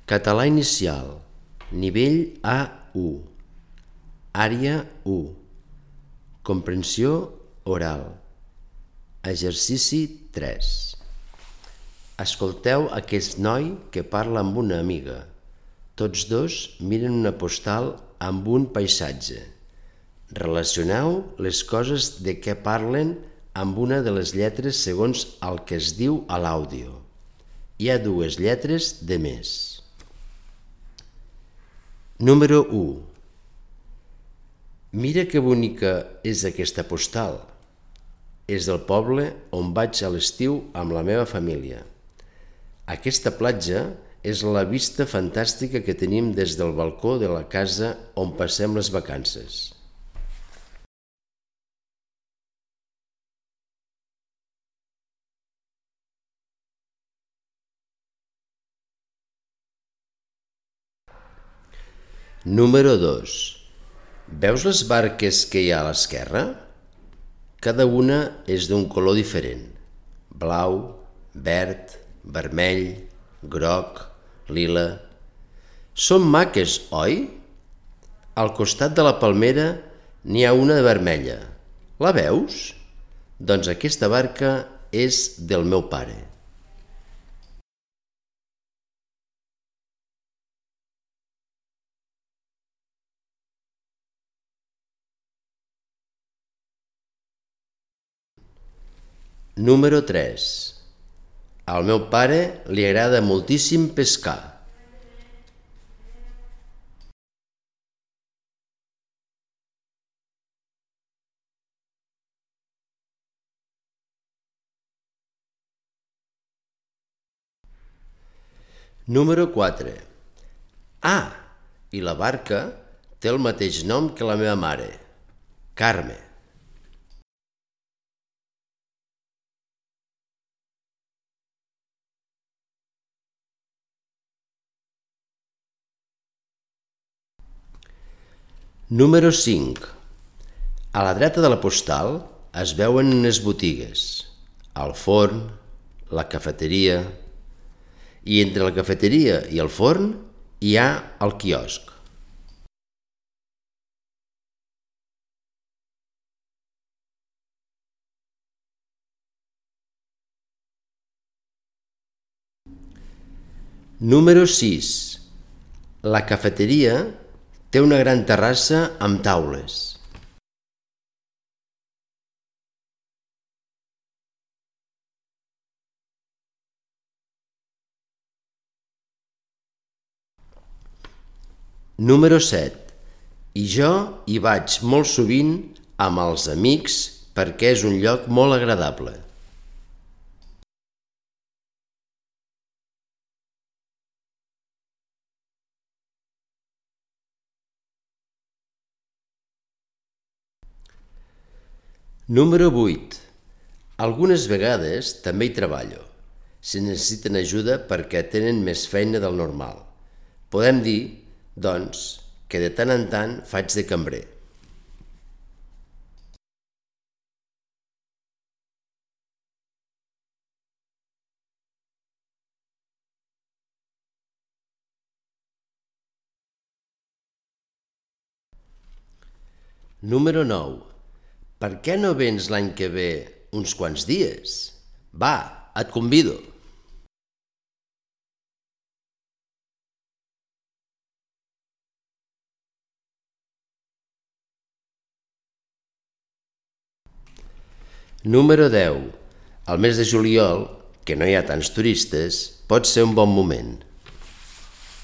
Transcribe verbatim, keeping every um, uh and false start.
Català inicial, nivell A u, àrea u, comprensió oral, exercici tres. Escolteu aquest noi que parla amb una amiga. Tots dos miren una postal amb un paisatge. Relacioneu les coses de què parlen amb una de les lletres segons el que es diu a l'àudio. Hi ha dues lletres de més. Número u. Mira que bonica és aquesta postal. És del poble on vaig a l'estiu amb la meva família. Aquesta platja és la vista fantàstica que tenim des del balcó de la casa on passem les vacances. Número dos. Veus les barques que hi ha a l'esquerra? Cada una és d'un color diferent: blau, verd, vermell, groc, lila. Són maques, oi? Al costat de la palmera n'hi ha una de vermella. La veus? Doncs aquesta barca és del meu pare. Número tres. Al meu pare li agrada moltíssim pescar. Número quatre. Ah, i la barca té el mateix nom que la meva mare, Carme. Número cinc. A la dreta de la postal es veuen unes botigues, el forn, la cafeteria, i entre la cafeteria i el forn hi ha el quiosc. Número sis. La cafeteria té una gran terrassa amb taules. Número set. I jo hi vaig molt sovint amb els amics perquè és un lloc molt agradable. Número vuit. Algunes vegades també hi treballo, si necessiten ajuda perquè tenen més feina del normal. Podem dir, doncs, que de tant en tant faig de cambrer. Número nou. Per què no vens l'any que ve uns quants dies? Va, et convido. Número deu. Al mes de juliol, que no hi ha tants turistes, pot ser un bon moment.